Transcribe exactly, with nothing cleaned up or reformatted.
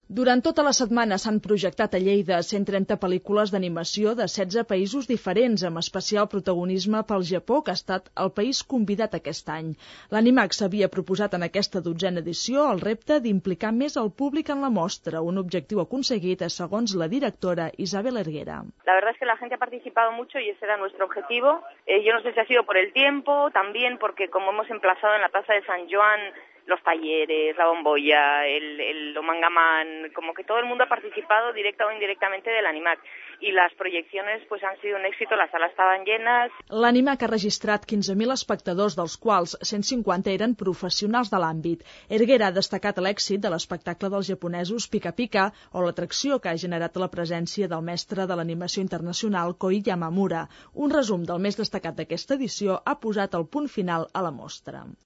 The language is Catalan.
Durant tota la setmana s'han projectat a Lleida cent trenta pel·lícules d'animació de setze països diferents, amb especial protagonisme pel Japó, que ha estat el país convidat aquest any. L'Animax s'havia proposat en aquesta dotzena edició el repte d'implicar més el públic en la mostra, un objectiu aconseguit, segons la directora Isabel Erguera. La verdad es que la gente ha participado mucho y ese era nuestro objetivo. Eh, yo no sé si ha sido por el tiempo, también porque como hemos emplazado en la Plaza de San Joan los talleres, la bombolla, el, el Omangamán, como que todo el mundo ha participado directa o indirectamente del Animac. Y las proyecciones pues han sido un éxito, las salas estaban llenas. L'Animac ha registrat quinze mil espectadors, dels quals cent cinquanta eren professionals de l'àmbit. Erguera ha destacat l'èxit de l'espectacle dels japonesos Pika Pika o l'atracció que ha generat la presència del mestre de l'animació internacional Koi Yamamura. Un resum del més destacat d'aquesta edició ha posat el punt final a la mostra.